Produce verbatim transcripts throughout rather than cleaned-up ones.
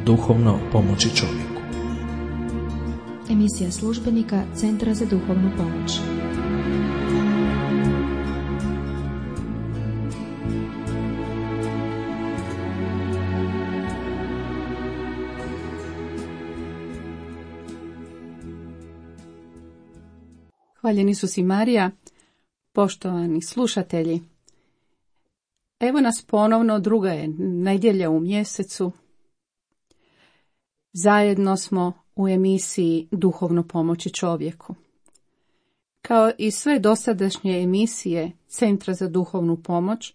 Duhovno pomoći čovjeku. Emisija službenika Centra za duhovnu pomoć. Hvaljen Isus i Marija, poštovani slušatelji. Evo nas ponovno, druga je nedjelja u mjesecu. Zajedno smo u emisiji Duhovno pomoći čovjeku. Kao i sve dosadašnje emisije Centra za duhovnu pomoć,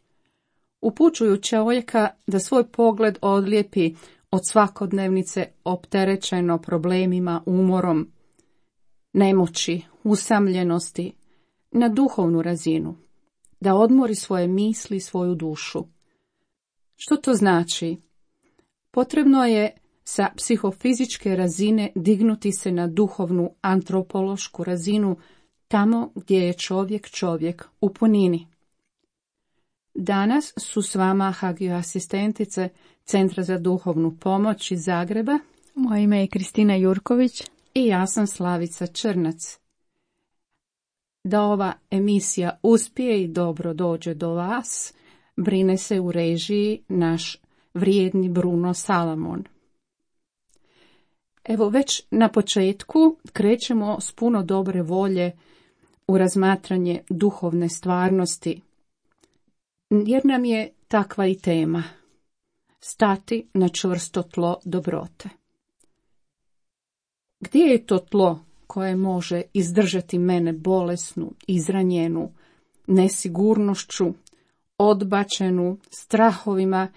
upućuju čovjeka da svoj pogled odlijepi od svakodnevnice opterećeno problemima, umorom, nemoći, usamljenosti, na duhovnu razinu, da odmori svoje misli i svoju dušu. Što to znači? Potrebno je sa psihofizičke razine dignuti se na duhovnu antropološku razinu, tamo gdje je čovjek čovjek u punini. Danas su s vama hagio asistentice Centra za duhovnu pomoć iz Zagreba. Moje ime je Kristina Jurković. I ja sam Slavica Črnac. Da ova emisija uspije i dobro dođe do vas, brine se u režiji naš vrijedni Bruno Salamon. Evo, već na početku krećemo s puno dobre volje u razmatranje duhovne stvarnosti, jer nam je takva i tema – stati na čvrsto tlo dobrote. Gdje je to tlo koje može izdržati mene bolesnu, izranjenu, nesigurnošću, odbačenu, strahovima,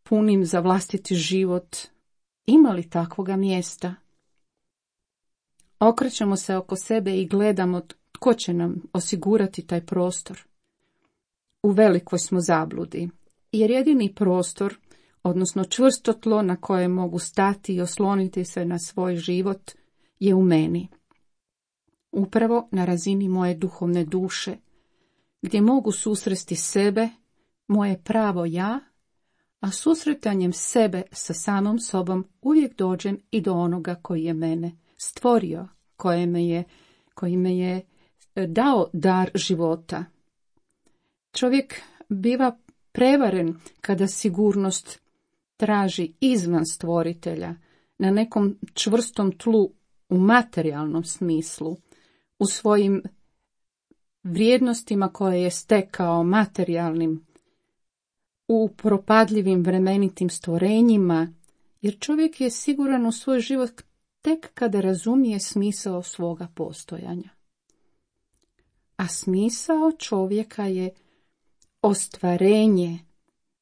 punim za vlastiti život? Ima li takvoga mjesta? Okrećemo se oko sebe i gledamo tko će nam osigurati taj prostor. U velikoj smo zabludi, jer jedini prostor, odnosno čvrsto tlo na koje mogu stati i osloniti se na svoj život, je u meni. Upravo na razini moje duhovne duše, gdje mogu susresti sebe, moje pravo ja, a susretanjem sebe sa samom sobom uvijek dođem i do onoga koji je mene stvorio, koji me je, koji me je dao dar života. Čovjek biva prevaren kada sigurnost traži izvan stvoritelja, na nekom čvrstom tlu u materijalnom smislu, u svojim vrijednostima koje je stekao materijalnim, u propadljivim vremenitim stvorenjima, jer čovjek je siguran u svoj život tek kada razumije smisao svoga postojanja. A smisao čovjeka je ostvarenje,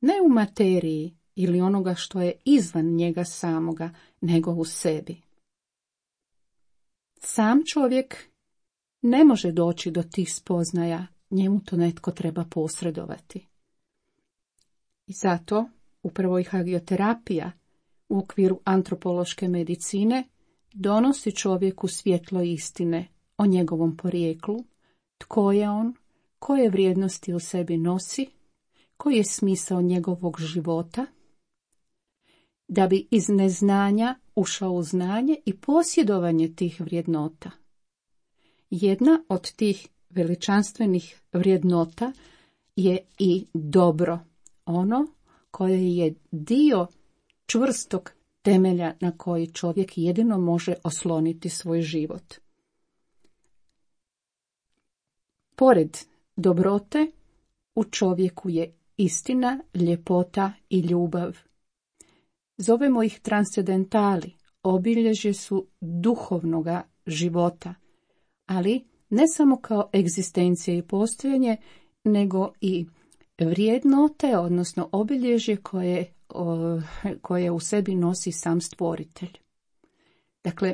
ne u materiji ili onoga što je izvan njega samoga, nego u sebi. Sam čovjek ne može doći do tih spoznaja, njemu to netko treba posredovati. I zato upravo i hagioterapija u okviru antropološke medicine donosi čovjeku svjetlo istine o njegovom porijeklu, tko je on, koje vrijednosti u sebi nosi, koji je smisao njegovog života, da bi iz neznanja ušao u znanje i posjedovanje tih vrijednota. Jedna od tih veličanstvenih vrijednota je i dobro, ono koje je dio čvrstog temelja na koji čovjek jedino može osloniti svoj život. Pored dobrote, u čovjeku je istina, ljepota i ljubav. Zovemo ih transcendentali, obilježje su duhovnoga života, ali ne samo kao egzistencija i postojanje, nego i vrijednote, odnosno obilježje koje, o, koje u sebi nosi sam stvoritelj. Dakle,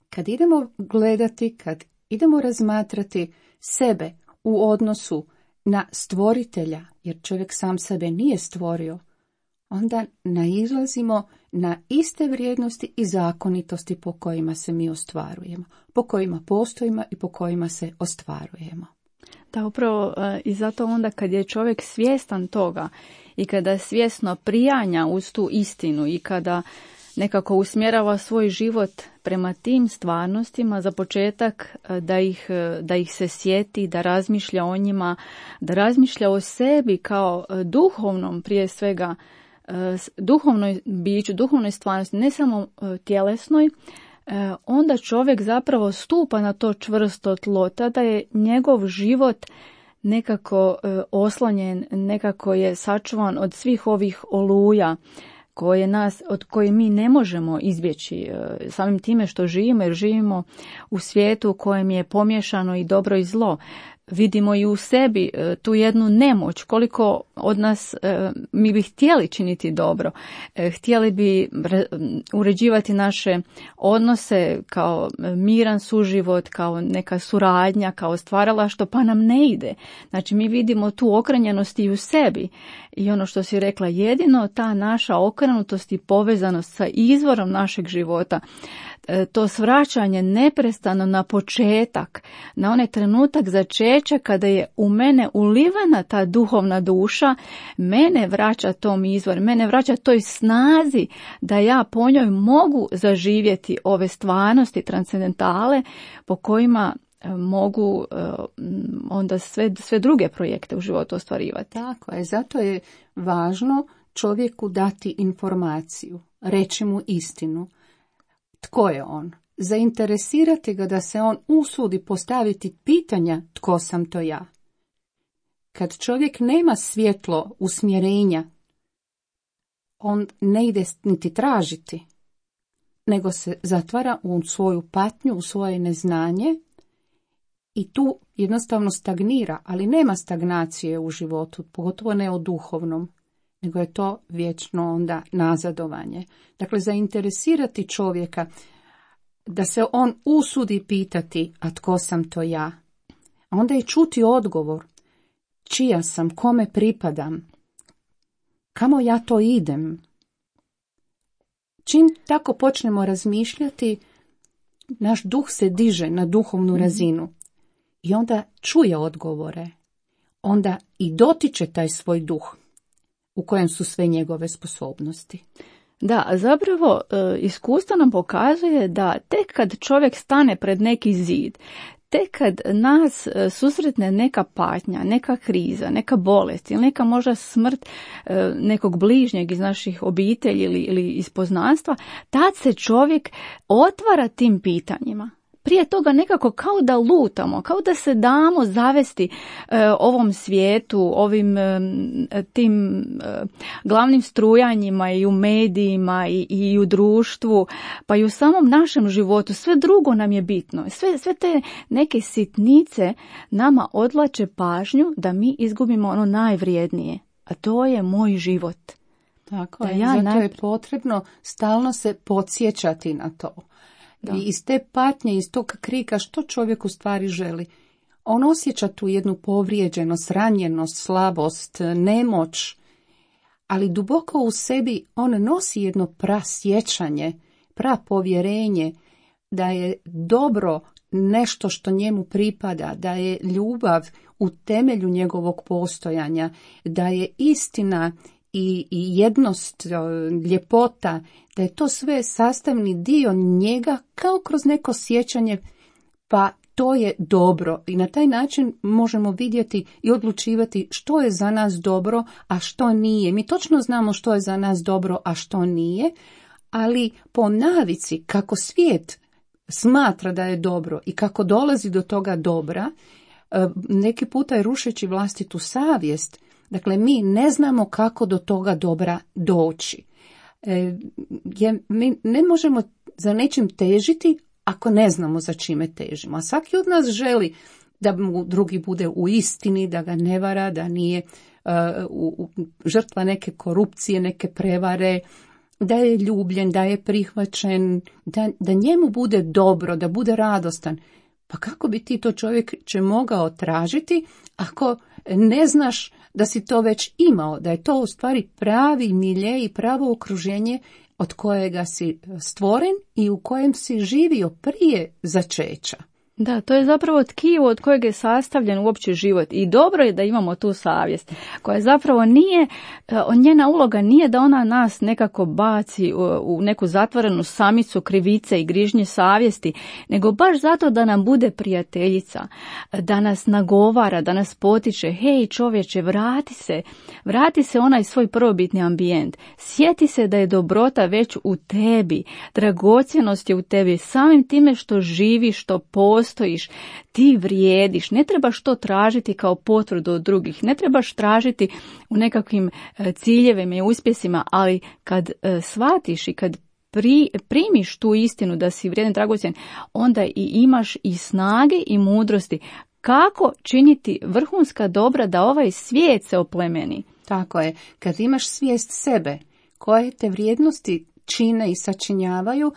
kad idemo gledati, kad idemo razmatrati sebe u odnosu na stvoritelja, jer čovjek sam sebe nije stvorio, onda nailazimo na iste vrijednosti i zakonitosti po kojima se mi ostvarujemo, po kojima postojimo i po kojima se ostvarujemo. Da, upravo i zato onda kad je čovjek svjestan toga i kada svjesno prijanja uz tu istinu i kada nekako usmjerava svoj život prema tim stvarnostima, za početak da ih, da ih se sjeti, da razmišlja o njima, da razmišlja o sebi kao duhovnom prije svega, duhovnoj biću, duhovnoj stvarnosti, ne samo tjelesnoj, onda čovjek zapravo stupa na to čvrsto tlo, tada je njegov život nekako oslonjen, nekako je sačuvan od svih ovih oluja koje nas, od koje mi ne možemo izbjeći samim time što živimo, jer živimo u svijetu u kojem je pomiješano i dobro i zlo. Vidimo i u sebi tu jednu nemoć, koliko od nas mi bi htjeli činiti dobro, htjeli bi uređivati naše odnose kao miran suživot, kao neka suradnja, kao stvaralaštvo, pa nam ne ide. Znači mi vidimo tu okrenjenost i u sebi i ono što si rekla, jedino ta naša okrenutost i povezanost sa izvorom našeg života, to svraćanje neprestano na početak, na onaj trenutak začeća kada je u mene ulivana ta duhovna duša, mene vraća tom izvoru, mene vraća toj snazi da ja po njoj mogu zaživjeti ove stvarnosti transcendentale po kojima mogu onda sve, sve druge projekte u životu ostvarivati. Tako je, zato je važno čovjeku dati informaciju, reći mu istinu. Tko je on? Zainteresirati ga da se on usudi postaviti pitanja tko sam to ja. Kad čovjek nema svjetlo usmjerenja, on ne ide niti tražiti, nego se zatvara u svoju patnju, u svoje neznanje i tu jednostavno stagnira, ali nema stagnacije u životu, pogotovo ne o duhovnom, nego je to vječno onda nazadovanje. Dakle, zainteresirati čovjeka da se on usudi pitati, a tko sam to ja? A onda je čuti odgovor, čija sam, kome pripadam, kamo ja to idem. Čim tako počnemo razmišljati, naš duh se diže na duhovnu razinu i onda čuje odgovore, onda i dotiče taj svoj duh u kojem su sve njegove sposobnosti. Da, zapravo iskustvo nam pokazuje da tek kad čovjek stane pred neki zid, tek kad nas susretne neka patnja, neka kriza, neka bolest ili neka možda smrt nekog bližnjeg iz naših obitelji ili, ili iz poznanstva, tad se čovjek otvara tim pitanjima. Prije toga nekako kao da lutamo, kao da se damo zavesti e, ovom svijetu, ovim e, tim e, glavnim strujanjima i u medijima i, i u društvu, pa i u samom našem životu. Sve drugo nam je bitno. Sve, sve te neke sitnice nama odvlače pažnju da mi izgubimo ono najvrijednije, a to je moj život. Tako je, ja zato naj... je potrebno stalno se podsjećati na to. Da. I iz te patnje, iz tog krika, što čovjek u stvari želi? On osjeća tu jednu povrijeđenost, ranjenost, slabost, nemoć, ali duboko u sebi on nosi jedno prasjećanje, prapovjerenje da je dobro nešto što njemu pripada, da je ljubav u temelju njegovog postojanja, da je istina i, i jednost, ljepota, da je to sve sastavni dio njega kao kroz neko sjećanje, pa to je dobro. I na taj način možemo vidjeti i odlučivati što je za nas dobro, a što nije. Mi točno znamo što je za nas dobro, a što nije, ali po navici kako svijet smatra da je dobro i kako dolazi do toga dobra, neki puta je rušeći vlastitu savjest. Dakle, mi ne znamo kako do toga dobra doći. E, je, mi ne možemo za nečim težiti ako ne znamo za čime težimo. A svaki od nas želi da mu drugi bude u istini, da ga ne vara, da nije uh, u, u, žrtva neke korupcije, neke prevare, da je ljubljen, da je prihvaćen, da, da njemu bude dobro, da bude radostan. Pa kako bi ti to čovjek će mogao tražiti ako ne znaš da si to već imao, da je to u stvari pravi milje i pravo okruženje od kojega si stvoren i u kojem si živio prije začeća. Da, to je zapravo tkivo od kojeg je sastavljen uopće život i dobro je da imamo tu savjest koja zapravo nije, njena uloga nije da ona nas nekako baci u neku zatvorenu samicu krivice i grižnje savjesti, nego baš zato da nam bude prijateljica, da nas nagovara, da nas potiče, hej čovječe, vrati se, vrati se onaj svoj prvobitni ambijent, sjeti se da je dobrota već u tebi, dragocjenost je u tebi, samim time što živiš, što postojiš, stojiš, ti vrijediš, ne trebaš to tražiti kao potvrdu od drugih, ne trebaš tražiti u nekakvim ciljevima i uspjesima, ali kad shvatiš i kad pri, primiš tu istinu da si vrijedan, dragocjen, onda i imaš i snage i mudrosti kako činiti vrhunska dobra da ovaj svijet se oplemeni. Tako je, kad imaš svijest sebe, koje te vrijednosti čine i sačinjavaju,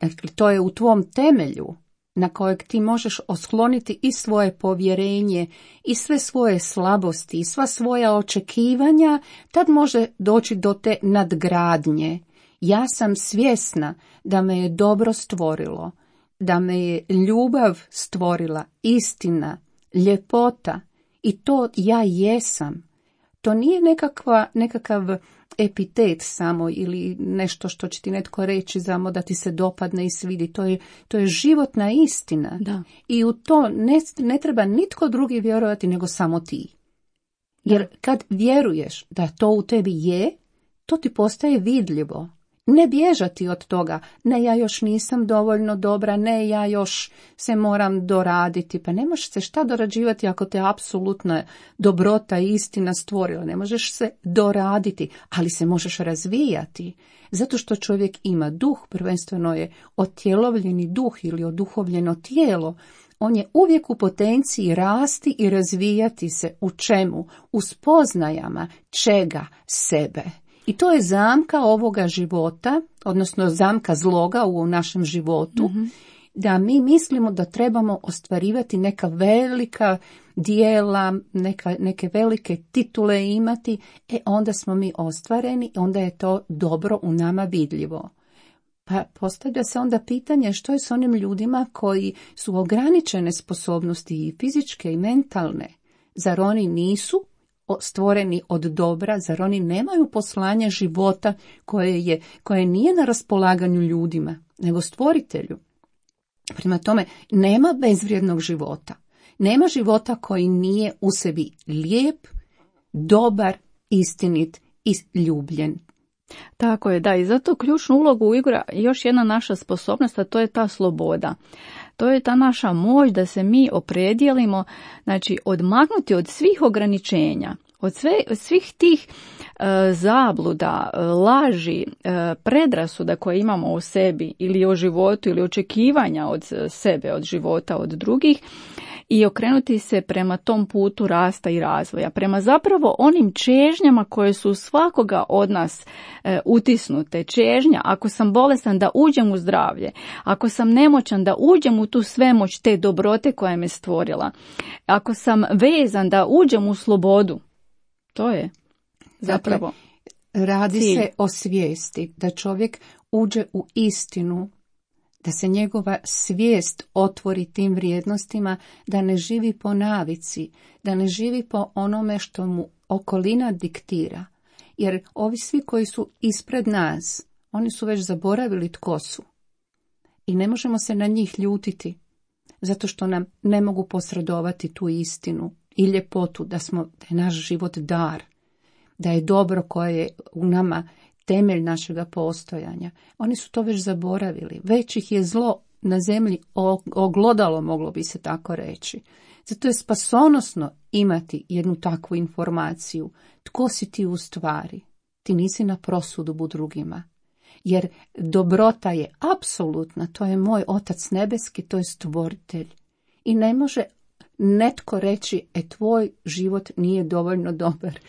dakle to je u tvom temelju, na kojeg ti možeš osloniti i svoje povjerenje, i sve svoje slabosti, i sva svoja očekivanja, tad može doći do te nadgradnje. Ja sam svjesna da me je dobro stvorilo, da me je ljubav stvorila, istina, ljepota, i to ja jesam. To nije nekakva, nekakav epitet samo ili nešto što će ti netko reći samo da ti se dopadne i svidi. To je, to je životna istina. Da. I u to ne, ne treba nitko drugi vjerovati nego samo ti. Jer da. Kad vjeruješ da to u tebi je, to ti postaje vidljivo. Ne bježati od toga, ne ja još nisam dovoljno dobra, ne ja još se moram doraditi, pa ne možeš se šta dorađivati ako te apsolutna dobrota i istina stvorila, ne možeš se doraditi, ali se možeš razvijati, zato što čovjek ima duh, prvenstveno je otjelovljeni duh ili oduhovljeno tijelo, on je uvijek u potenciji rasti i razvijati se u čemu? U spoznajama čega? Sebe. I to je zamka ovoga života, odnosno zamka zloga u našem životu, mm-hmm. da mi mislimo da trebamo ostvarivati neka velika dijela, neka, neke velike titule imati, e onda smo mi ostvareni, onda je to dobro u nama vidljivo. Pa postavlja se onda pitanje što je s onim ljudima koji su ograničene sposobnosti i fizičke i mentalne, zar oni nisu stvoreni od dobra, zar oni nemaju poslanje života koje je, koje nije na raspolaganju ljudima, nego stvoritelju. Prema tome, nema bezvrijednog života. Nema života koji nije u sebi lijep, dobar, istinit i ljubljen. Tako je, da, i zato ključnu ulogu igra još jedna naša sposobnost, a to je ta sloboda. To je ta naša moć da se mi opredijelimo, znači odmaknuti od svih ograničenja, od sve, svih tih e, zabluda, laži, e, predrasuda koje imamo o sebi ili o životu ili očekivanja od sebe, od života, od drugih, i okrenuti se prema tom putu rasta i razvoja, prema zapravo onim čežnjama koje su svakoga od nas e, utisnute. Čežnja, ako sam bolestan da uđem u zdravlje, ako sam nemoćan da uđem u tu svemoć te dobrote koja me stvorila, ako sam vezan da uđem u slobodu, to je zapravo dakle, radi cilj. Se o svijesti da čovjek uđe u istinu, da se njegova svijest otvori tim vrijednostima, da ne živi po navici, da ne živi po onome što mu okolina diktira. Jer ovi svi koji su ispred nas, oni su već zaboravili tko su. I ne možemo se na njih ljutiti, zato što nam ne mogu posredovati tu istinu i ljepotu, da, smo, da je naš život dar, da je dobro koje je u nama temelj našega postojanja. Oni su to već zaboravili. Već ih je zlo na zemlji oglodalo, moglo bi se tako reći. Zato je spasonosno imati jednu takvu informaciju. Tko si ti u stvari? Ti nisi na prosudbu drugima. Jer dobrota je apsolutna. To je moj Otac nebeski, to je stvoritelj. I ne može netko reći, e tvoj život nije dovoljno dobar.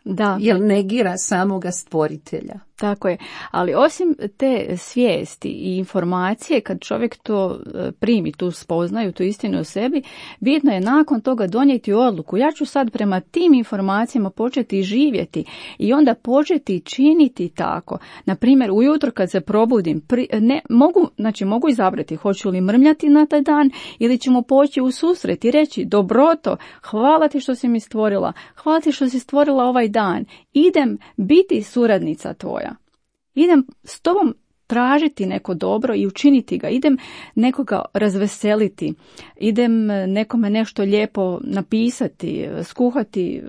Da. Jer negira samoga stvoritelja. Tako je, ali osim te svijesti i informacije, kad čovjek to primi, tu spoznaju, tu istinu o sebi, bitno je nakon toga donijeti odluku. Ja ću sad prema tim informacijama početi živjeti i onda početi činiti tako. Na primjer, ujutro kad se probudim, pri, ne, mogu, znači mogu izabrati hoću li mrmljati na taj dan ili ćemo poći u susret i reći dobroto, hvala ti što si mi stvorila, hvala ti što si stvorila ovaj dan, idem biti suradnica tvoja. Idem s tobom tražiti neko dobro i učiniti ga. Idem nekoga razveseliti. Idem nekome nešto lijepo napisati, skuhati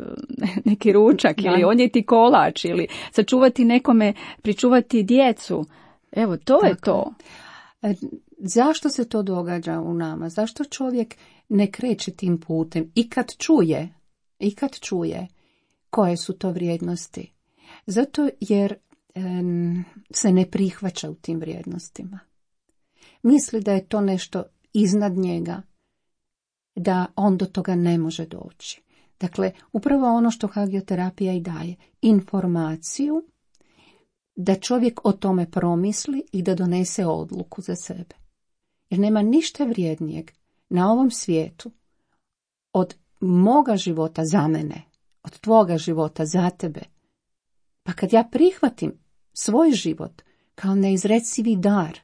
neki ručak da. Ili odnijeti kolač ili sačuvati nekome, pričuvati djecu. Evo, to Tako. je to. Zašto se to događa u nama? Zašto čovjek ne kreće tim putem? I kad čuje, i kad čuje koje su to vrijednosti? Zato jer se ne prihvaća u tim vrijednostima. Misli da je to nešto iznad njega, da on do toga ne može doći. Dakle, upravo ono što hagioterapija i daje, informaciju da čovjek o tome promisli i da donese odluku za sebe. Jer nema ništa vrijednijeg na ovom svijetu od moga života za mene, od tvoga života za tebe. Pa kad ja prihvatim svoj život kao neizrecivi dar,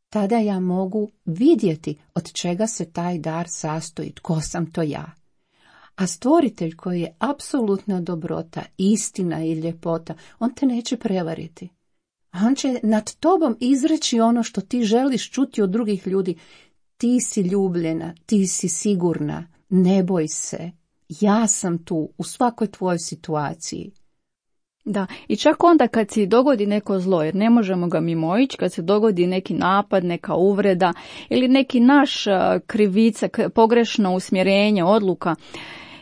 tada ja mogu vidjeti od čega se taj dar sastoji, tko sam to ja. A stvoritelj koji je apsolutna dobrota, istina i ljepota, on te neće prevariti. On će nad tobom izreći ono što ti želiš čuti od drugih ljudi. Ti si ljubljena, ti si sigurna, ne boj se, ja sam tu u svakoj tvojoj situaciji. Da, i čak onda kad se dogodi neko zlo, jer ne možemo ga mimoići, kad se dogodi neki napad, neka uvreda ili neki naš krivica, pogrešno usmjerenje, odluka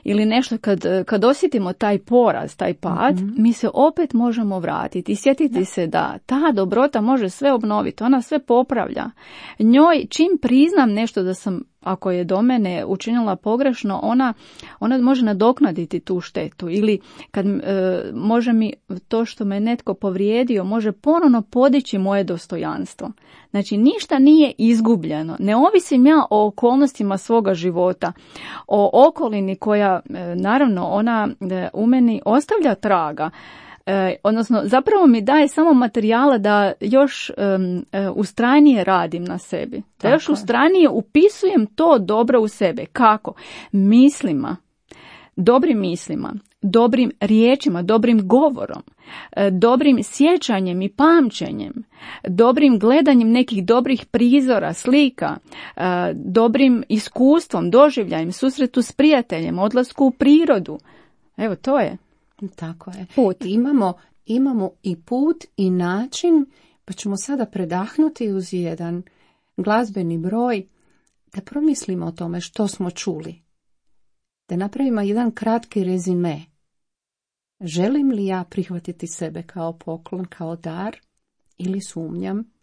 ili nešto, kad, kad osjetimo taj poraz, taj pad, mm-hmm. mi se opet možemo vratiti i sjetiti da. se da ta dobrota može sve obnoviti, ona sve popravlja. Njoj, čim priznam nešto da sam, ako je do mene učinila pogrešno, ona, ona može nadoknaditi tu štetu ili kad e, može mi to što me netko povrijedio, može ponovno podići moje dostojanstvo. Znači, ništa nije izgubljeno. Ne ovisim ja o okolnostima svoga života, o okolini koja, e, naravno, ona e, u meni ostavlja traga. E, odnosno, zapravo mi daje samo materijala da još um, ustrajnije radim na sebi. Da Tako još ustrajnije upisujem to dobro u sebe. Kako? Mislima, dobrim mislima, dobrim riječima, dobrim govorom, dobrim sjećanjem i pamćenjem, dobrim gledanjem nekih dobrih prizora, slika, dobrim iskustvom, doživljajem, susretu s prijateljem, odlasku u prirodu. Evo, to je. Tako je. Put. Imamo, imamo i put i način, pa ćemo sada predahnuti uz jedan glazbeni broj, da promislimo o tome što smo čuli. Da napravimo jedan kratki rezime. Želim li ja prihvatiti sebe kao poklon, kao dar, ili sumnjam?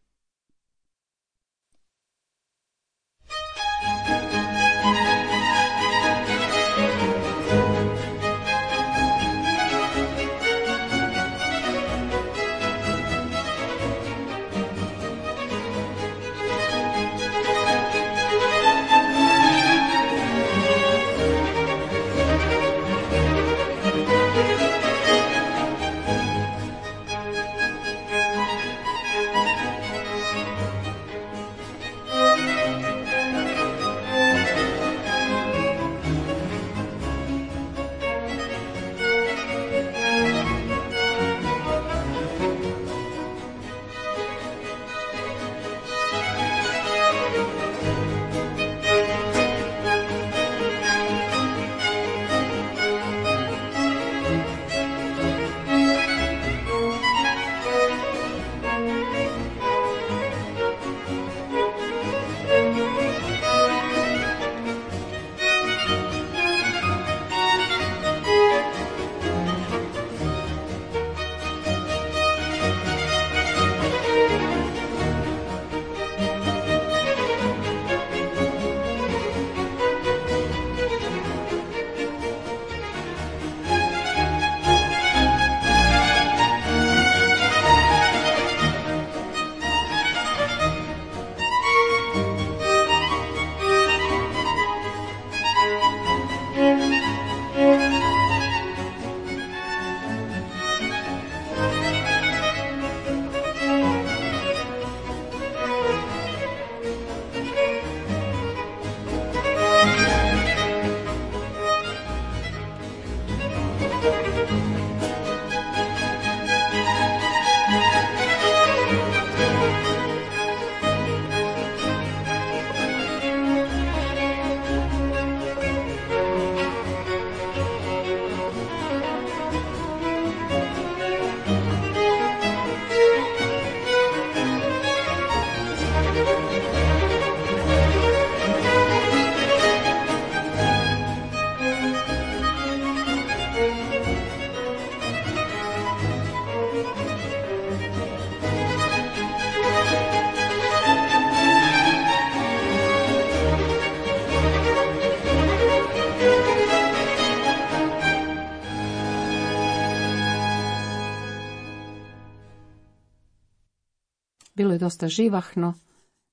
Bilo je dosta živahno,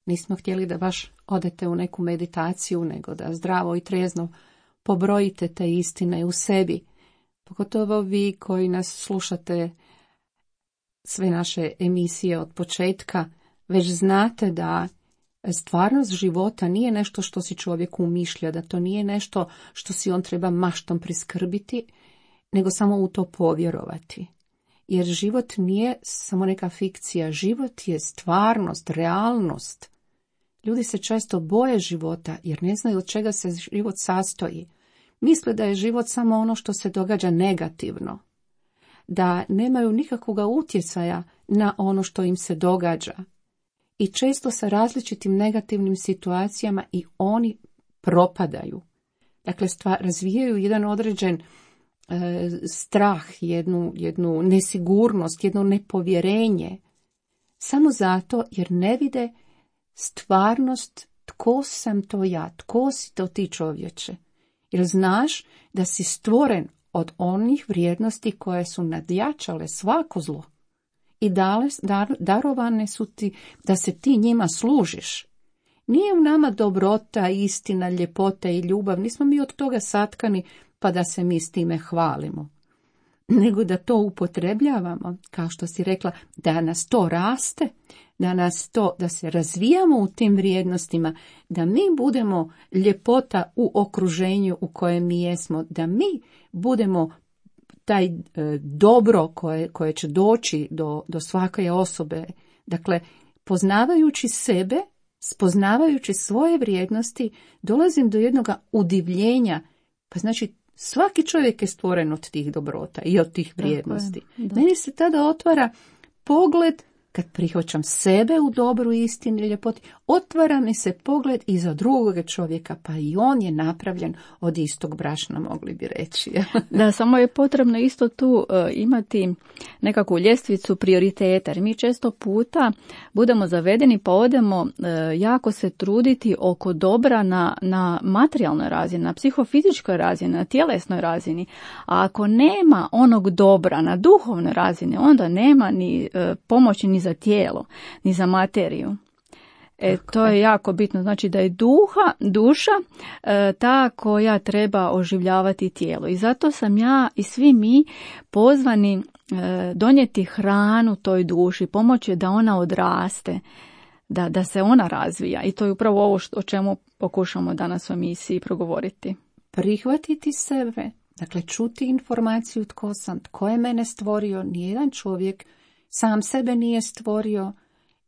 nismo htjeli da baš odete u neku meditaciju, nego da zdravo i trezno pobrojite te istine u sebi. Pogotovo vi koji nas slušate sve naše emisije od početka, već znate da stvarnost života nije nešto što si čovjek umišlja, da to nije nešto što si on treba maštom priskrbiti, nego samo u to povjerovati. Jer život nije samo neka fikcija, život je stvarnost, realnost. Ljudi se često boje života jer ne znaju od čega se život sastoji. Misle da je život samo ono što se događa negativno, da nemaju nikakvog utjecaja na ono što im se događa. I često sa različitim negativnim situacijama i oni propadaju. Dakle, stvar, razvijaju jedan određen e, strah, jednu, jednu nesigurnost, jedno nepovjerenje. Samo zato jer ne vide stvarnost tko sam to ja, tko si to ti čovječe. Jer znaš da si stvoren od onih vrijednosti koje su nadjačale svako zlo. I dale, dar, darovane su ti da se ti njima služiš. Nije u nama dobrota, istina, ljepota i ljubav, nismo mi od toga satkani pa da se mi s time hvalimo. Nego da to upotrebljavamo, kao što si rekla, da nas to raste, da nas to, da se razvijamo u tim vrijednostima, da mi budemo ljepota u okruženju u kojem mi jesmo, da mi budemo taj e, dobro koje, koje će doći do, do svake osobe. Dakle, poznavajući sebe, spoznavajući svoje vrijednosti, dolazim do jednog udivljenja. Pa znači, svaki čovjek je stvoren od tih dobrota i od tih vrijednosti. Meni se tada otvara pogled, kad prihvaćam sebe u dobru, istini i ljepoti, otvara mi se pogled i za drugog čovjeka, pa i on je napravljen od istog brašna, mogli bi reći. Da, samo je potrebno isto tu uh, imati nekakvu ljestvicu prioriteta, jer mi često puta budemo zavedeni pa odemo uh, jako se truditi oko dobra na, na materijalnoj razini, na psihofizičkoj razini, na tjelesnoj razini, a ako nema onog dobra na duhovnoj razini, onda nema ni uh, pomoći ni za tijelo, ni za materiju. E, to je jako bitno. Znači da je duha, duša e, ta koja treba oživljavati tijelo. I zato sam ja i svi mi pozvani e, donijeti hranu toj duši, pomoći da ona odraste, da, da se ona razvija. I to je upravo ovo što, o čemu pokušamo danas u emisiji progovoriti. Prihvatiti sebe, dakle čuti informaciju tko sam, tko je mene stvorio, nijedan čovjek sam sebe nije stvorio,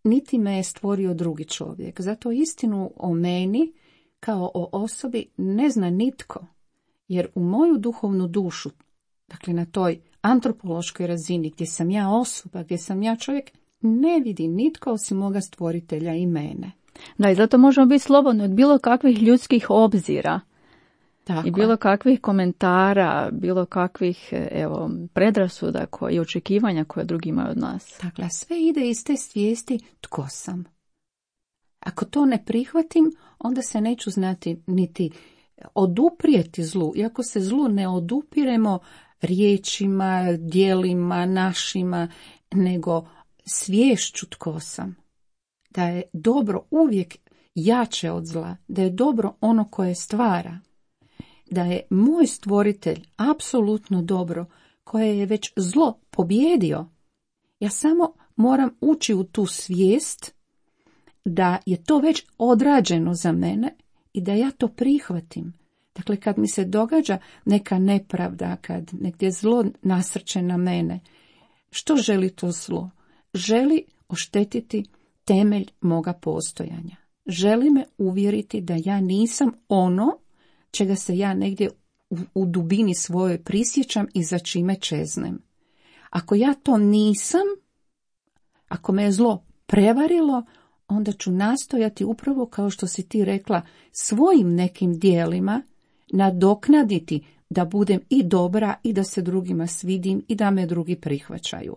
niti me je stvorio drugi čovjek. Zato istinu o meni kao o osobi ne zna nitko. Jer u moju duhovnu dušu, dakle na toj antropološkoj razini gdje sam ja osoba, gdje sam ja čovjek, ne vidi nitko osim moga stvoritelja i mene. Da, i zato možemo biti slobodni od bilo kakvih ljudskih obzira. Tako. I bilo kakvih komentara, bilo kakvih evo, predrasuda koje, i očekivanja koje drugi imaju od nas. Dakle, sve ide iz te svijesti tko sam. Ako to ne prihvatim, onda se neću znati niti oduprijeti zlu. Iako se zlu ne odupiremo riječima, djelima, našima, nego sviješću tko sam. Da je dobro uvijek jače od zla, da je dobro ono koje stvara. Da je moj stvoritelj apsolutno dobro, koje je već zlo pobjedio. Ja samo moram ući u tu svijest da je to već odrađeno za mene i da ja to prihvatim. Dakle, kad mi se događa neka nepravda, kad negdje zlo nasrće na mene, što želi to zlo? Želi oštetiti temelj moga postojanja. Želi me uvjeriti da ja nisam ono čega se ja negdje u, u dubini svojoj prisjećam i za čime čeznem. Ako ja to nisam, ako me je zlo prevarilo, onda ću nastojati upravo kao što si ti rekla, svojim nekim dijelima nadoknaditi da budem i dobra i da se drugima svidim i da me drugi prihvaćaju.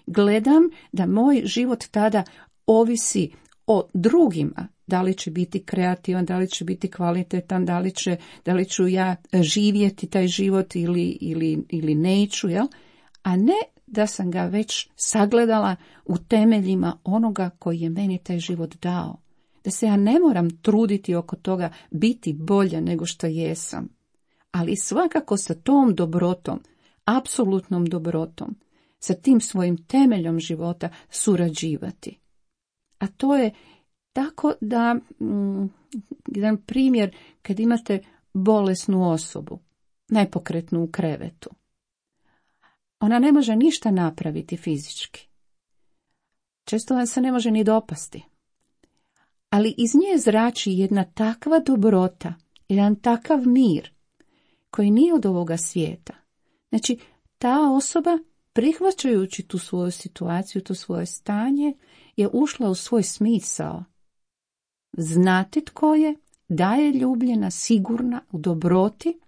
Gledam da moj život tada ovisi o drugima, da li će biti kreativan, da li će biti kvalitetan, da li, će, da li ću ja živjeti taj život ili, ili, ili neću, jel? A ne da sam ga već sagledala u temeljima onoga koji je meni taj život dao. Da se ja ne moram truditi oko toga biti bolja nego što jesam. Ali svakako sa tom dobrotom, apsolutnom dobrotom, sa tim svojim temeljom života surađivati. A to je tako da, mm, jedan primjer, kad imate bolesnu osobu, nepokretnu u krevetu, ona ne može ništa napraviti fizički. Često vam se ne može ni dopasti. Ali iz nje zrači jedna takva dobrota, jedan takav mir, koji nije od ovoga svijeta. Znači, ta osoba, prihvaćajući tu svoju situaciju, to svoje stanje, je ušla u svoj smisao. Znati tko je, da je ljubljena, sigurna, u dobroti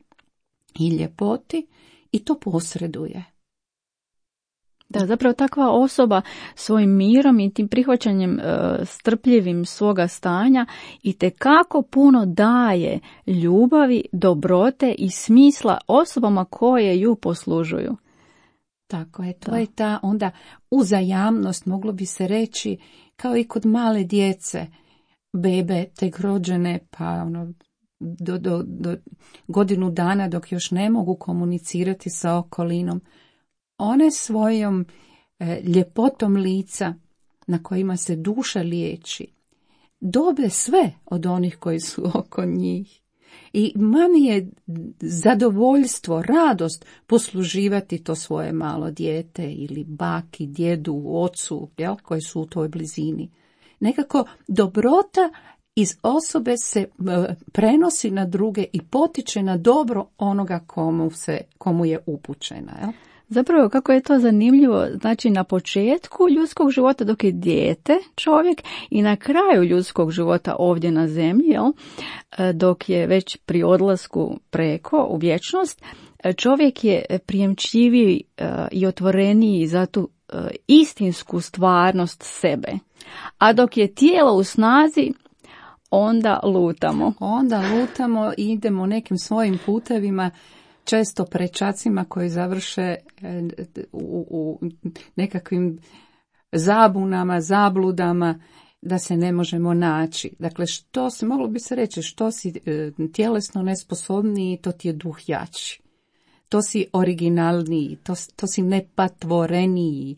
i ljepoti i to posreduje. Da, zapravo takva osoba svojim mirom i tim prihvaćanjem e, strpljivim svoga stanja itekako puno daje ljubavi, dobrote i smisla osobama koje ju poslužuju. Tako je, to da. Je ta onda uzajamnost, moglo bi se reći, kao i kod male djece, bebe tek rođene, pa ono, do, do, do godinu dana dok još ne mogu komunicirati sa okolinom, one svojom e, ljepotom lica na kojima se duša liječi, dobe sve od onih koji su oko njih. I mami je zadovoljstvo, radost posluživati to svoje malo dijete ili baki, djedu, ocu, jel, koji su u toj blizini. Nekako dobrota iz osobe se e, prenosi na druge i potiče na dobro onoga komu, se, komu je upućena, jel? Zapravo, kako je to zanimljivo, znači na početku ljudskog života dok je dijete čovjek i na kraju ljudskog života ovdje na zemlji, jel, dok je već pri odlasku preko u vječnost, čovjek je prijemčljiviji i otvoreniji za tu istinsku stvarnost sebe. A dok je tijelo u snazi, onda lutamo. Onda lutamo i idemo nekim svojim putevima, često prečacima koji završe u, u nekakvim zabunama, zabludama, da se ne možemo naći. Dakle, što si, moglo bi se reći, što si tjelesno nesposobniji, to ti je duh jači. To si originalniji, to, to si nepatvoreniji.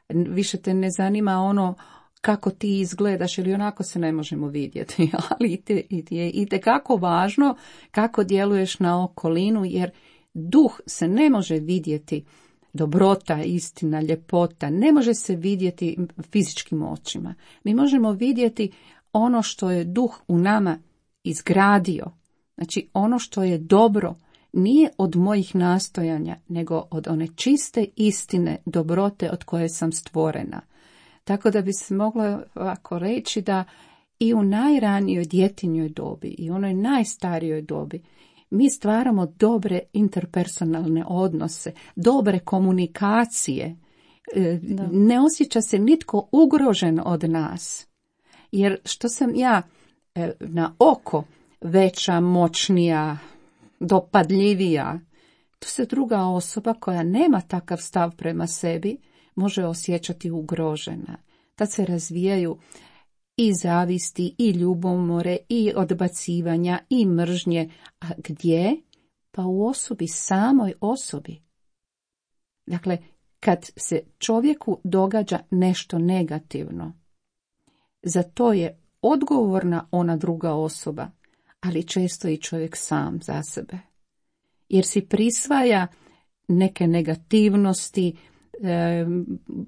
Više te ne zanima ono kako ti izgledaš, ili onako se ne možemo vidjeti, ali je itekako važno kako djeluješ na okolinu, jer duh se ne može vidjeti, dobrota, istina, ljepota, ne može se vidjeti fizičkim očima. Mi možemo vidjeti ono što je duh u nama izgradio. Znači, ono što je dobro nije od mojih nastojanja, nego od one čiste istine, dobrote od koje sam stvorena. Tako da bi se moglo ovako reći da i u najranijoj djetinjoj dobi i u onoj najstarijoj dobi mi stvaramo dobre interpersonalne odnose, dobre komunikacije. Da. Ne osjeća se nitko ugrožen od nas. Jer što sam ja na oko veća, moćnija, dopadljivija, to se druga osoba koja nema takav stav prema sebi može osjećati ugrožena. Tad se razvijaju i zavisti, i ljubomore, i odbacivanja, i mržnje. A gdje? Pa u osobi, samoj osobi. Dakle, kad se čovjeku događa nešto negativno, za to je odgovorna ona druga osoba, ali često i čovjek sam za sebe. Jer si prisvaja neke negativnosti, e,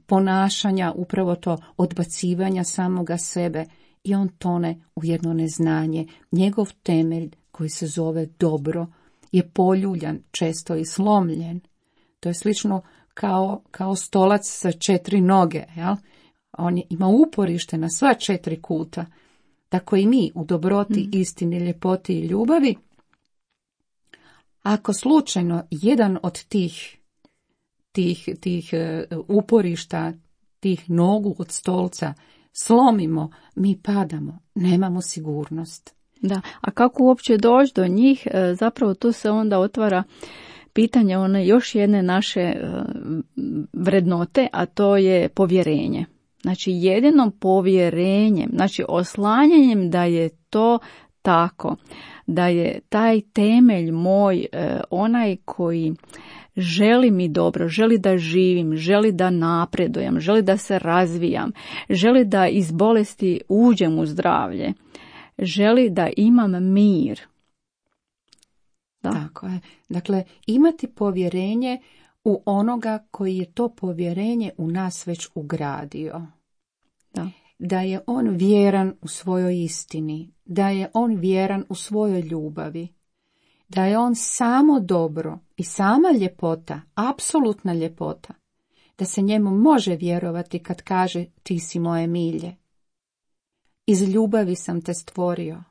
ponašanja, upravo to odbacivanja samoga sebe, i on tone u jedno neznanje. Njegov temelj, koji se zove dobro, je poljuljan, često i slomljen. To je slično kao, kao stolac sa četiri noge, jel? On ima uporište na sva četiri kuta. Tako i mi u dobroti, mm. istini, ljepoti i ljubavi. Ako slučajno jedan od tih, tih, tih uporišta, tih nogu od stolca slomimo, mi padamo, nemamo sigurnost. Da, a kako uopće doći do njih, zapravo tu se onda otvara pitanje one još jedne naše vrednote, a to je povjerenje. Znači jedino povjerenjem, znači oslanjanjem da je to tako, da je taj temelj moj onaj koji želi mi dobro, želi da živim, želi da napredujem, želi da se razvijam, želi da iz bolesti uđem u zdravlje, želi da imam mir. Da. Tako je. Dakle, imati povjerenje u onoga koji je to povjerenje u nas već ugradio. Da. Da je on vjeran u svojoj istini, da je on vjeran u svojoj ljubavi, da je on samo dobro i sama ljepota, apsolutna ljepota, da se njemu može vjerovati kad kaže ti si moje milje. Iz ljubavi sam te stvorio.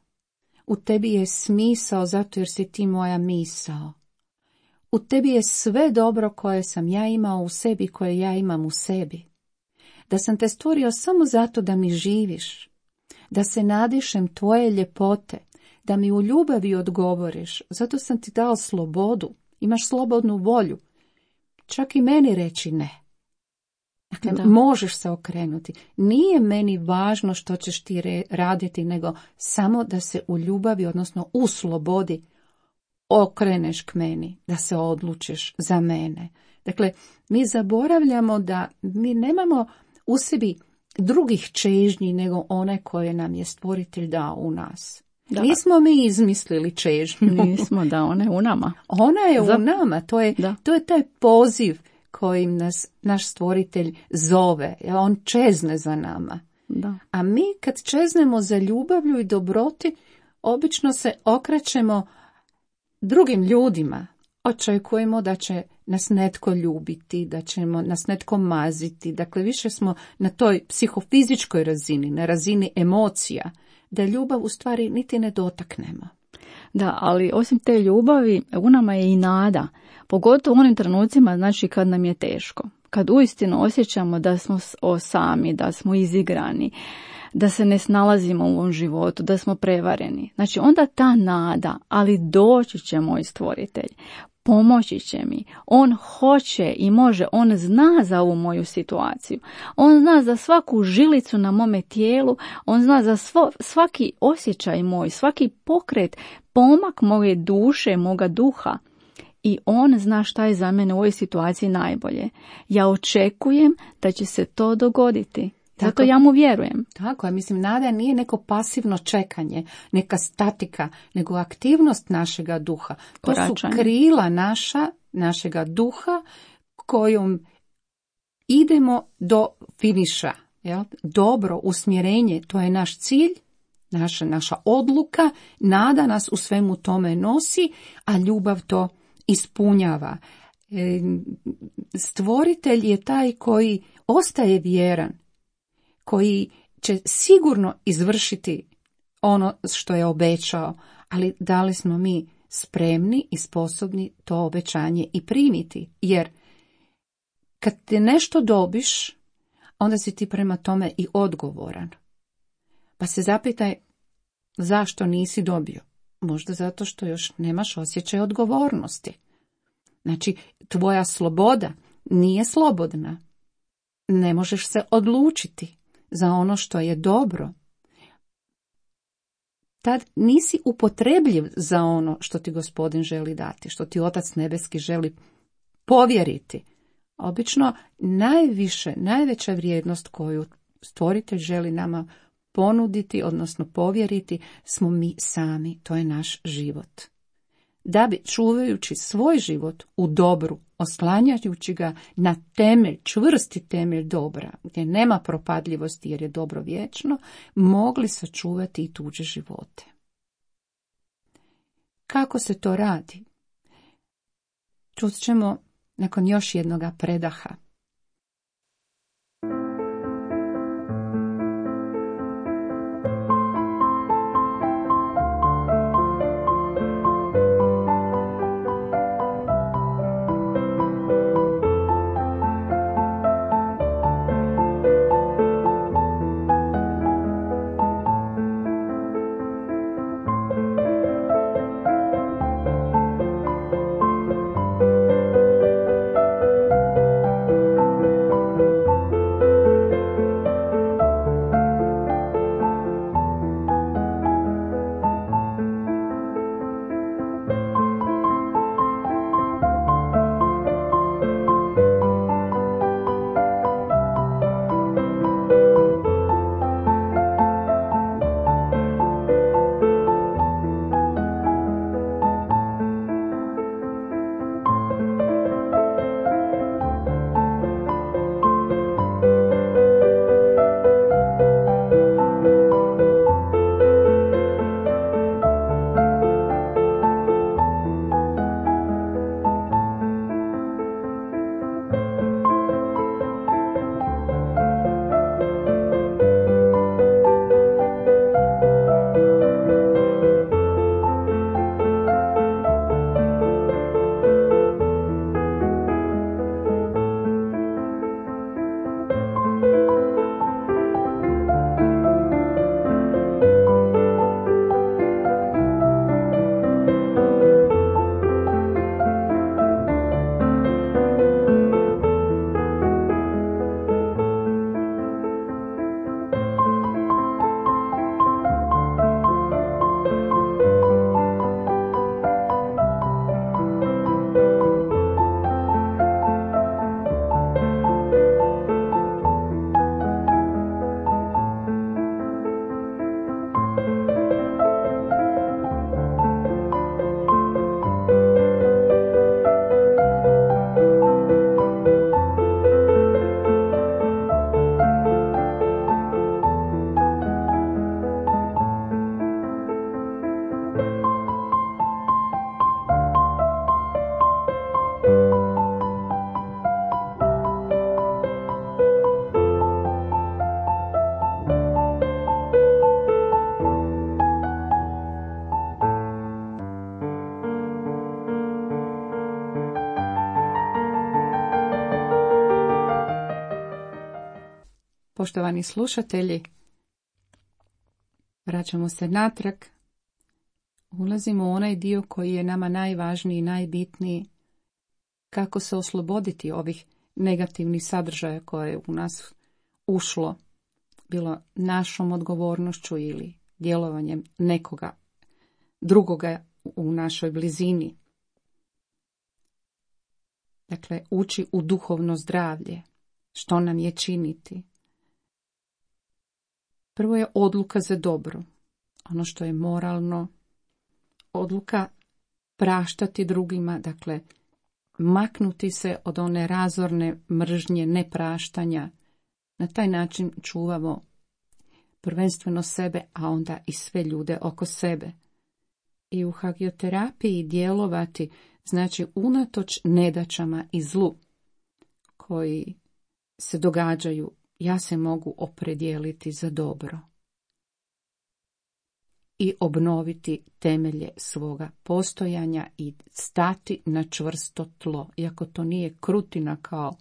U tebi je smisao zato jer si ti moja misao. U tebi je sve dobro koje sam ja imao u sebi, koje ja imam u sebi. Da sam te stvorio samo zato da mi živiš, da se nadišem tvoje ljepote, da mi u ljubavi odgovoriš, zato sam ti dao slobodu, imaš slobodnu volju, čak i meni reći ne. Dakle, da. Možeš se okrenuti. Nije meni važno što ćeš ti re- raditi, nego samo da se u ljubavi, odnosno u slobodi, okreneš k meni, da se odlučiš za mene. Dakle, mi zaboravljamo da mi nemamo u sebi drugih čežnji nego one koje nam je stvoritelj dao u nas. Da. Nismo mi izmislili čežnju. Nismo, da, ona je u nama. Ona je za... u nama, to je, to je taj poziv kojim nas naš stvoritelj zove, on čezne za nama. Da. A mi kad čeznemo za ljubavlju i dobroti, obično se okrećemo drugim ljudima. Očekujemo da će nas netko ljubiti, da ćemo nas netko maziti. Dakle, više smo na toj psihofizičkoj razini, na razini emocija, da ljubav u stvari niti ne dotaknemo. Da, ali osim te ljubavi, u nama je i nada. Pogotovo u onim trenucima, znači kad nam je teško. Kad uistinu osjećamo da smo sami, da smo izigrani, da se ne snalazimo u ovom životu, da smo prevareni. Znači onda ta nada, ali doći će moj stvoritelj, pomoći će mi. On hoće i može, on zna za ovu moju situaciju. On zna za svaku žilicu na mome tijelu, on zna za svo, svaki osjećaj moj, svaki pokret, pomak moje duše, moga duha. I on zna šta je za mene u ovoj situaciji najbolje. Ja očekujem da će se to dogoditi. Zato tako, ja mu vjerujem. Tako je, mislim, nada nije neko pasivno čekanje, neka statika, nego aktivnost našega duha. To Koračanje. Su krila naša, našega duha kojom idemo do finiša. Jel? Dobro usmjerenje, to je naš cilj, naša, naša odluka, nada nas u svemu tome nosi, a ljubav to ispunjava. E, stvoritelj je taj koji ostaje vjeran, koji će sigurno izvršiti ono što je obećao, ali da li smo mi spremni i sposobni to obećanje i primiti? Jer kad te nešto dobiš, onda si ti prema tome i odgovoran. Pa se zapitaj zašto nisi dobio. Možda zato što još nemaš osjećaj odgovornosti. Znači, tvoja sloboda nije slobodna. Ne možeš se odlučiti za ono što je dobro. Tad nisi upotrebljiv za ono što ti Gospodin želi dati, što ti Otac Nebeski želi povjeriti. Obično najviše, najveća vrijednost koju Stvoritelj želi nama ponuditi, odnosno povjeriti, smo mi sami, to je naš život. Da bi, čuvajući svoj život u dobru, oslanjajući ga na temelj, čvrsti temelj dobra, gdje nema propadljivosti jer je dobro vječno, mogli sačuvati i tuđe živote. Kako se to radi? Čut ćemo nakon još jednoga predaha. Poštovani slušatelji, vraćamo se natrag. Ulazimo u onaj dio koji je nama najvažniji i najbitniji. Kako se osloboditi ovih negativnih sadržaja koje je u nas ušlo, bilo našom odgovornošću ili djelovanjem nekoga drugoga u našoj blizini. Dakle, ući u duhovno zdravlje. Što nam je činiti? Prvo je odluka za dobro. Ono što je moralno. Odluka praštati drugima, dakle, maknuti se od one razorne mržnje, nepraštanja. Na taj način čuvamo prvenstveno sebe, a onda i sve ljude oko sebe. I u hagioterapiji djelovati znači unatoč nedaćama i zlu koji se događaju, ja se mogu opredijeliti za dobro i obnoviti temelje svoga postojanja i stati na čvrsto tlo. Iako to nije krutina, kao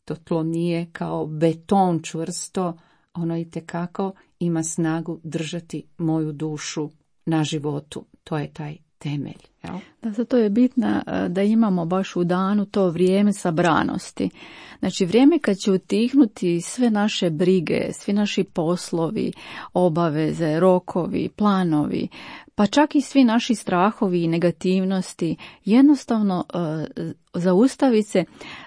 to tlo nije kao beton čvrsto, ono itekako ima snagu držati moju dušu na životu. To je taj temelj. Jel? Da, zato je bitno da imamo baš u danu to vrijeme sabranosti. Znači vrijeme kad će utihnuti sve naše brige, svi naši poslovi, obaveze, rokovi, planovi, pa čak i svi naši strahovi i negativnosti, jednostavno uh, zaustaviti se,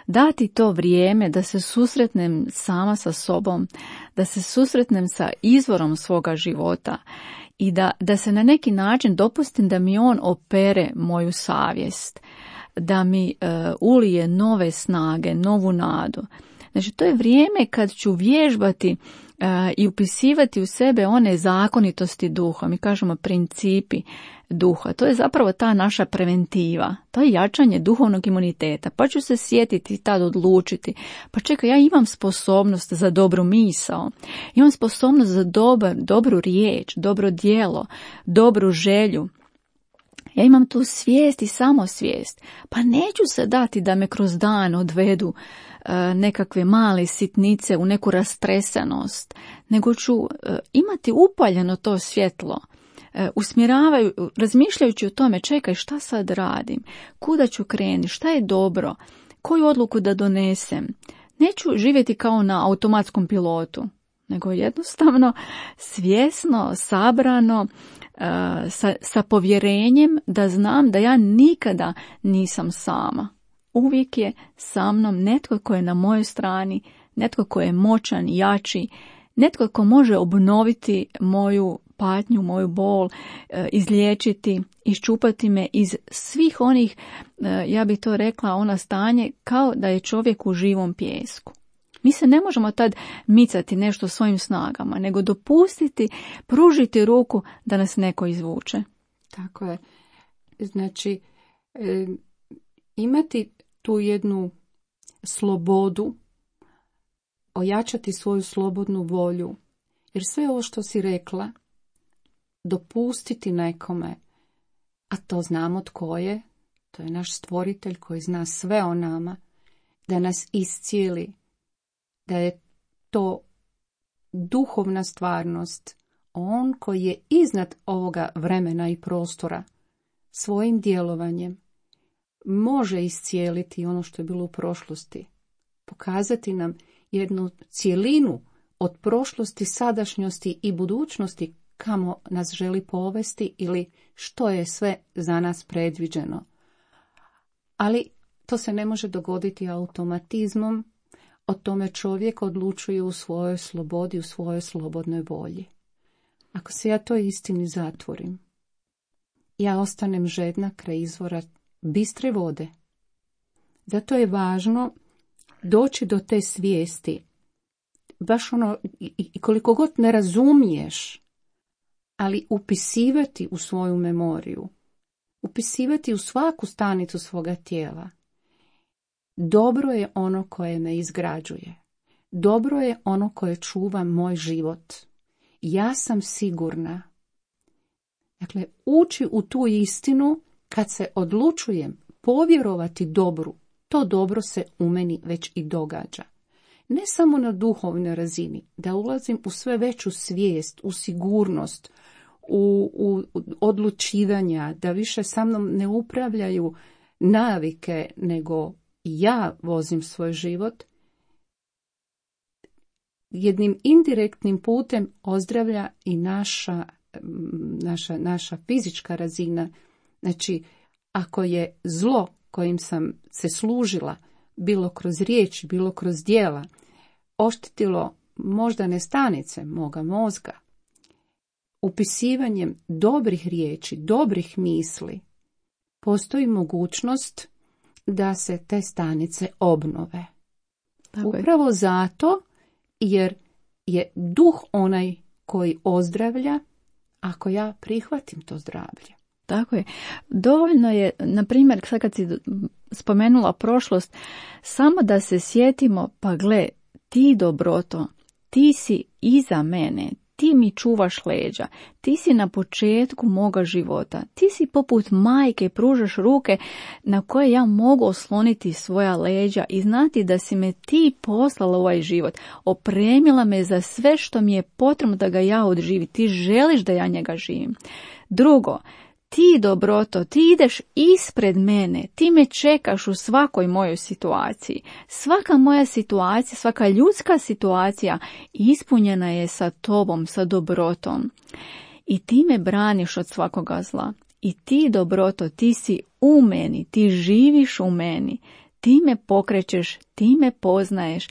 dati to vrijeme da se susretnem sama sa sobom, da se susretnem sa izvorom svoga života i da, da se na neki način dopustim da mi on opere moju savjest, da mi uh, ulije nove snage, novu nadu. Znači to je vrijeme kad ću vježbati uh, i upisivati u sebe one zakonitosti duha, mi kažemo principi duha. To je zapravo ta naša preventiva, to je jačanje duhovnog imuniteta. Pa ću se sjetiti i tad odlučiti, pa čekaj, ja imam sposobnost za dobru misao, imam sposobnost za dobar, dobru riječ, dobro djelo, dobru želju. Ja imam tu svijest i samosvijest, pa neću se dati da me kroz dan odvedu uh, nekakve male sitnice u neku rastresenost, nego ću uh, imati upaljeno to svjetlo, uh, usmjeravaju, razmišljajući o tome, čekaj, šta sad radim, kuda ću krenuti, šta je dobro, koju odluku da donesem. Neću živjeti kao na automatskom pilotu, nego jednostavno svjesno, sabrano, Sa, sa povjerenjem da znam da ja nikada nisam sama. Uvijek je sa mnom netko ko je na mojoj strani, netko ko je moćan, jači, netko ko može obnoviti moju patnju, moju bol, izliječiti, iščupati me iz svih onih, ja bih to rekla, ona stanje kao da je čovjek u živom pijesku. Mi se ne možemo tad micati nešto svojim snagama, nego dopustiti, pružiti ruku da nas neko izvuče. Tako je. Znači, e, imati tu jednu slobodu, ojačati svoju slobodnu volju, jer sve ovo što si rekla, dopustiti nekome, a to znamo tko je, to je naš stvoritelj koji zna sve o nama, da nas iscijeli, da je to duhovna stvarnost, on koji je iznad ovoga vremena i prostora, svojim djelovanjem može iscijeliti ono što je bilo u prošlosti, pokazati nam jednu cjelinu od prošlosti, sadašnjosti i budućnosti kamo nas želi povesti ili što je sve za nas predviđeno. Ali to se ne može dogoditi automatizmom, o tome čovjek odlučuje u svojoj slobodi, u svojoj slobodnoj volji. Ako se ja toj istini zatvorim, ja ostanem žedna kraj izvora bistre vode. Zato je važno doći do te svijesti, baš ono, i koliko god ne razumiješ, ali upisivati u svoju memoriju, upisivati u svaku stanicu svoga tijela. Dobro je ono koje me izgrađuje. Dobro je ono koje čuva moj život. Ja sam sigurna. Dakle, ući u tu istinu kad se odlučujem povjerovati dobru, to dobro se u meni već i događa. ne samo na duhovnoj razini, da ulazim u sve veću svijest, u sigurnost, u, u odlučivanja, da više sa mnom ne upravljaju navike, nego ja vozim svoj život, jednim indirektnim putem ozdravlja i naša, naša, naša fizička razina. Znači, ako je zlo kojim sam se služila, bilo kroz riječ, bilo kroz djela, oštetilo moždane stanice moga mozga, upisivanjem dobrih riječi, dobrih misli, postoji mogućnost da se te stanice obnove. Tako Upravo je. Zato jer je duh onaj koji ozdravlja ako ja prihvatim to zdravlje. Tako je. Dovoljno je, na primjer, sad kad si spomenula prošlost, samo da se sjetimo, pa gle, ti dobroto, ti si iza mene, ti mi čuvaš leđa, ti si na početku moga života, ti si poput majke, pružaš ruke na koje ja mogu osloniti svoja leđa i znati da si me ti poslala u ovaj život, opremila me za sve što mi je potrebno da ga ja odživim, ti želiš da ja njega živim. Drugo, ti dobroto, ti ideš ispred mene, ti me čekaš u svakoj mojoj situaciji. Svaka moja situacija, svaka ljudska situacija ispunjena je sa tobom, sa dobrotom. I ti me braniš od svakoga zla. I ti dobroto, ti si u meni, ti živiš u meni, ti me pokrećeš, ti me poznaješ,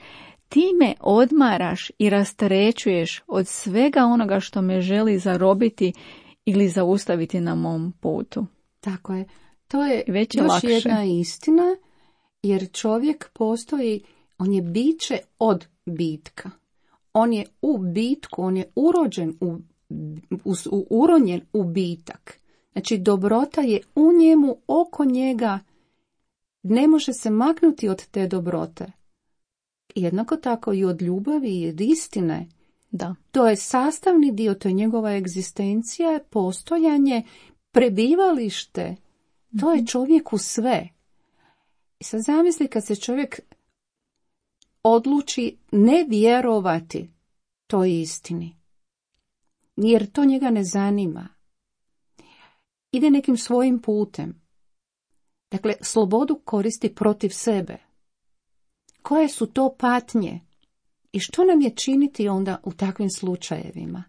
ti me odmaraš i rasterećuješ od svega onoga što me želi zarobiti ili zaustaviti na mom putu. Tako je. To je Već je još lakše. Jedna istina, jer čovjek postoji, on je biće od bitka. On je u bitku, on je urođen u, u, u uronjen u bitak. Znači, dobrota je u njemu, oko njega, ne može se maknuti od te dobrote. Jednako tako i od ljubavi i od istine. Da. To je sastavni dio, to je njegova egzistencija, postojanje, prebivalište. To je čovjeku sve. I sad zamisli kad se čovjek odluči ne vjerovati toj istini, jer to njega ne zanima. Ide nekim svojim putem. Dakle, slobodu koristi protiv sebe. Koje su to patnje? I što nam je činiti onda u takvim slučajevima?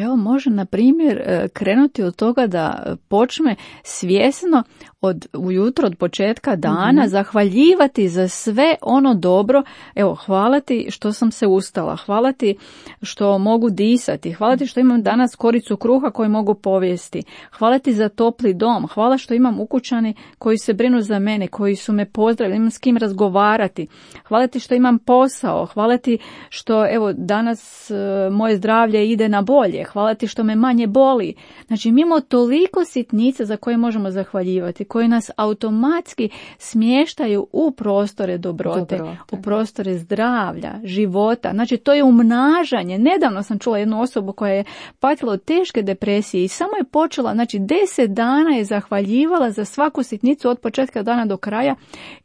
Evo, može, na primjer, krenuti od toga da počne svjesno od ujutro, od početka dana, mm-hmm. zahvaljivati za sve ono dobro. Evo, hvala ti što sam se ustala, hvala ti što mogu disati, hvala ti što imam danas koricu kruha koju mogu povijesti, hvala ti za topli dom, hvala što imam ukućani koji se brinu za mene, koji su me pozdravili, imam s kim razgovarati, hvala ti što imam posao, hvala ti što, evo, danas uh, moje zdravlje ide na bolje, hvala ti što me manje boli. Znači, mi imamo toliko sitnica za koje možemo zahvaljivati, koji nas automatski smještaju u prostore dobrote, dobrote, u prostore zdravlja, života. Znači, to je umnažanje. Nedavno sam čula jednu osobu koja je patila od teške depresije i samo je počela, znači deset dana je zahvaljivala za svaku sitnicu od početka dana do kraja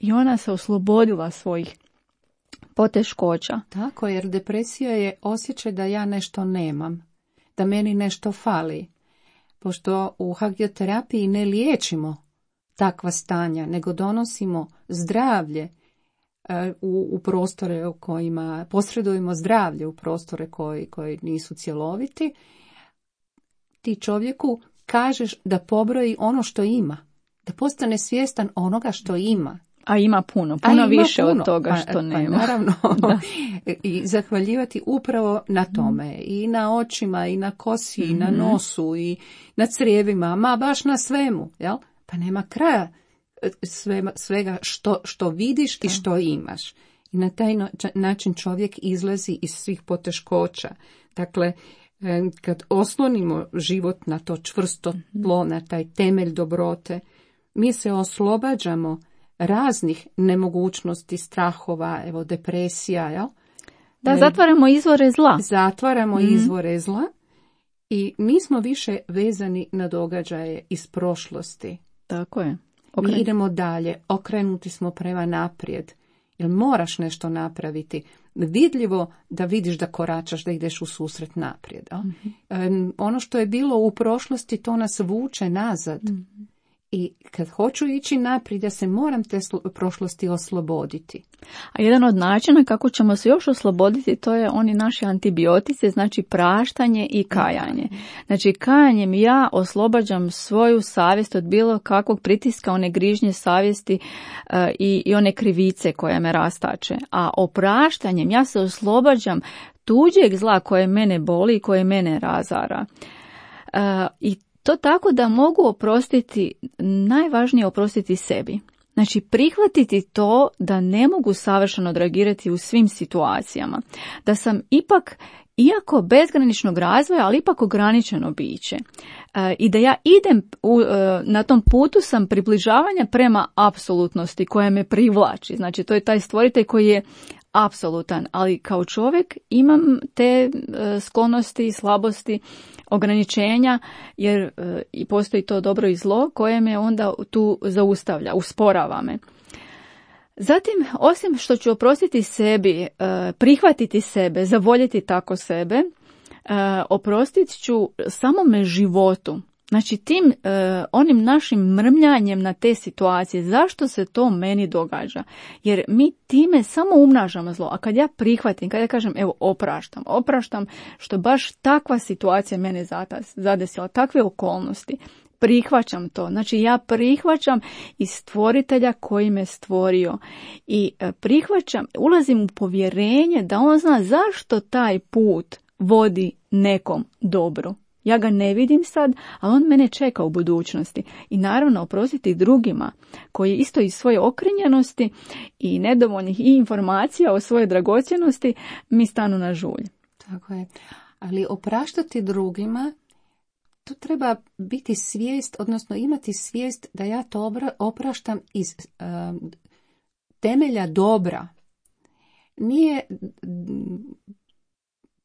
i ona se oslobodila svojih poteškoća. Tako, jer depresija je osjećaj da ja nešto nemam, da meni nešto fali. Pošto u hagioterapiji ne liječimo takva stanja, nego donosimo zdravlje u, u prostore u kojima, posredujemo zdravlje u prostore koji, koji nisu cjeloviti, ti čovjeku kažeš da pobroji ono što ima, da postane svjestan onoga što ima. A ima puno, puno ima više puno. Od toga što pa, nema. Pa naravno, i zahvaljivati upravo na tome, i na očima, i na kosi, mm-hmm. i na nosu, i na crijevima, ma baš na svemu, jel? Pa nema kraja sve, svega što, što vidiš da. I što imaš. I na taj način čovjek izlazi iz svih poteškoća. Dakle, kad oslonimo život na to čvrsto tlo, na taj temelj dobrote, mi se oslobađamo raznih nemogućnosti, strahova, evo depresija, jel? Da, zatvaramo izvore zla. Zatvaramo mm. izvore zla i nismo više vezani na događaje iz prošlosti. Tako je. Okay. Mi idemo dalje, okrenuti smo prema naprijed Jer moraš nešto napraviti. Vidljivo da vidiš da koračaš, da ideš u susret naprijed. Mm-hmm. Ono što je bilo u prošlosti, to nas vuče nazad. Mm-hmm. I kad hoću ići naprijed, ja se moram te slo- prošlosti osloboditi. A jedan od načina kako ćemo se još osloboditi, to je oni naši antibiotici, znači praštanje i kajanje. Znači kajanjem ja oslobađam svoju savjest od bilo kakvog pritiska, one grižnje savjesti uh, i, i one krivice koja me rastače. A opraštanjem ja se oslobađam tuđeg zla koje mene boli i koje mene razara. Uh, I to tako da mogu oprostiti, najvažnije oprostiti sebi. Znači prihvatiti to da ne mogu savršeno odreagirati u svim situacijama. Da sam ipak, iako bezgraničnog razvoja, ali ipak ograničeno biće. E, I da ja idem, u, e, na tom putu sam približavanja prema apsolutnosti koja me privlači. Znači to je taj stvoritelj koji je apsolutan, ali kao čovjek imam te e, sklonosti, slabosti, ograničenja, jer e, i postoji to dobro i zlo koje me onda tu zaustavlja, usporava me. Zatim, osim što ću oprostiti sebi, e, prihvatiti sebe, zavoljeti tako sebe, e, oprostit ću samome životu. Znači tim e, onim našim mrmljanjem na te situacije, zašto se to meni događa? Jer mi time samo umnažamo zlo. A kad ja prihvatim, kad ja kažem evo opraštam, opraštam što baš takva situacija mene zadesila, takve okolnosti, prihvaćam to. Znači ja prihvaćam i stvoritelja koji me stvorio i e, prihvaćam, ulazim u povjerenje da on zna zašto taj put vodi nekom dobru. Ja ga ne vidim sad, ali on mene čeka u budućnosti. I naravno oprostiti drugima koji isto iz svoje okrenjenosti i nedovoljnih i informacija o svojoj dragocjenosti mi stanu na žulj. Tako je. Ali opraštati drugima, to treba biti svijest, odnosno imati svijest da ja to opraštam iz uh, temelja dobra. Nije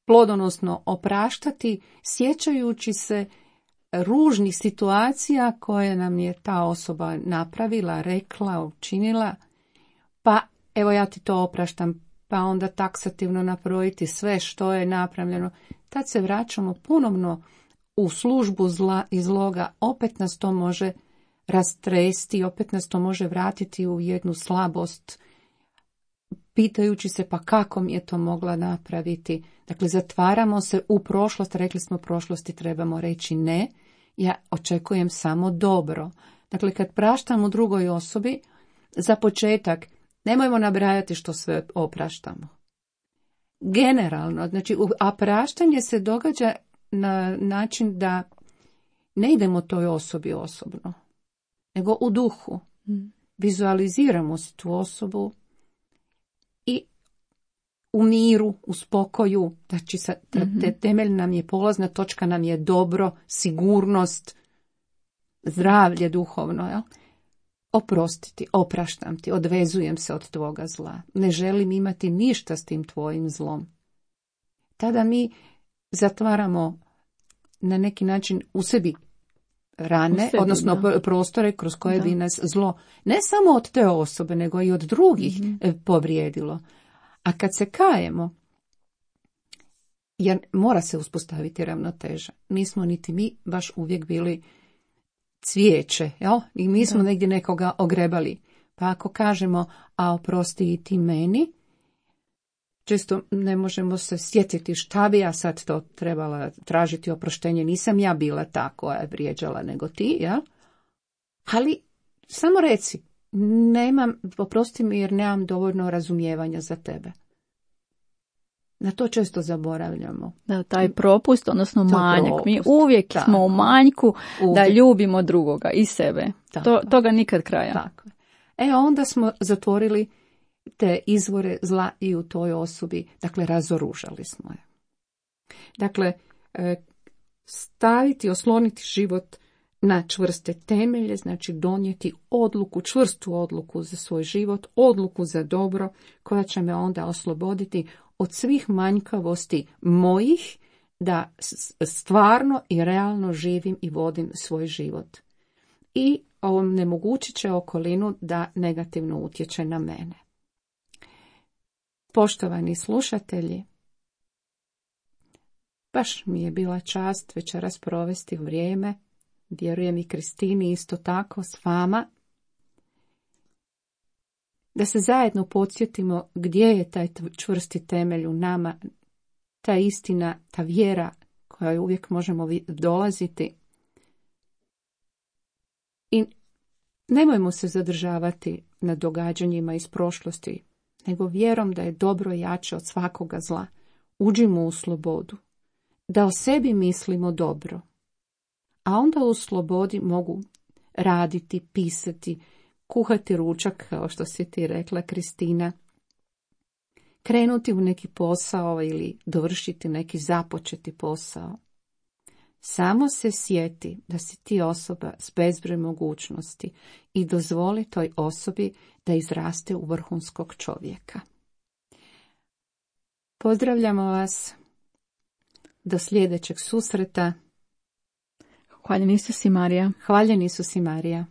plodonosno opraštati sjećajući se ružnih situacija koje nam je ta osoba napravila, rekla, učinila, pa evo ja ti to opraštam, pa onda taksativno nabrojiti sve što je napravljeno. Tad se vraćamo ponovno u službu zla i zloga, opet nas to može rastresti, opet nas to može vratiti u jednu slabost, pitajući se pa kako mi je to mogla napraviti. Dakle, zatvaramo se u prošlost, rekli smo prošlosti trebamo reći ne, ja očekujem samo dobro. Dakle, kad praštam u drugoj osobi, za početak, nemojmo nabrajati što sve opraštamo. Generalno, znači, a praštanje se događa na način da ne idemo toj osobi osobno, nego u duhu. Vizualiziramo si tu osobu i u miru, u spokoju, znači te temelj nam je, polazna točka nam je dobro, sigurnost, zdravlje duhovno, jel? Oprostiti, opraštam ti, odvezujem se od tvoga zla, ne želim imati ništa s tim tvojim zlom. Tada mi zatvaramo na neki način u sebi rane, sebi, odnosno da. prostore kroz koje da. bi nas zlo ne samo od te osobe, nego i od drugih mm-hmm. povrijedilo. A kad se kajemo, jer mora se uspostaviti ravnoteža. Nismo niti mi baš uvijek bili cvijeće, jel? I mi smo da. negdje nekoga ogrebali. Pa ako kažemo, a oprosti i ti meni, često ne možemo se sjetiti šta bi ja sad to trebala tražiti oproštenje. Nisam ja bila ta koja je vrijeđala, nego ti, jel? Ali samo reci, nemam, oprosti mi jer nemam dovoljno razumijevanja za tebe. Na to često zaboravljamo. Da, taj propust, odnosno to manjak. Propust. Mi uvijek tako. smo u manjku uvijek. da ljubimo drugoga i sebe. To, toga nikad kraja. Tako. E, onda smo zatvorili te izvore zla i u toj osobi. Dakle, razoružali smo je. Dakle, staviti, osloniti život na čvrste temelje, znači donijeti odluku, čvrstu odluku za svoj život, odluku za dobro, koja će me onda osloboditi od svih manjkavosti mojih, da stvarno i realno živim i vodim svoj život. I ovom nemogućit će okolinu da negativno utječe na mene. Poštovani slušatelji, baš mi je bila čast večeras provesti vrijeme, vjerujem i Kristini isto tako s vama, da se zajedno podsjetimo gdje je taj čvrsti temelj u nama, ta istina, ta vjera koja uvijek možemo dolaziti. I nemojmo se zadržavati na događanjima iz prošlosti, nego vjerom da je dobro jače od svakoga zla. Uđimo u slobodu, da o sebi mislimo dobro, a onda u slobodi mogu raditi, pisati, kuhati ručak, kao što si ti rekla, Kristina, krenuti u neki posao ili dovršiti neki započeti posao. Samo se sjeti da si ti osoba s bezbroj mogućnosti i dozvoli toj osobi da izraste u vrhunskog čovjeka. Pozdravljamo vas do sljedećeg susreta. Hvaljen Isus i Marija. Hvaljen Isus i Marija.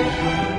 Thank you.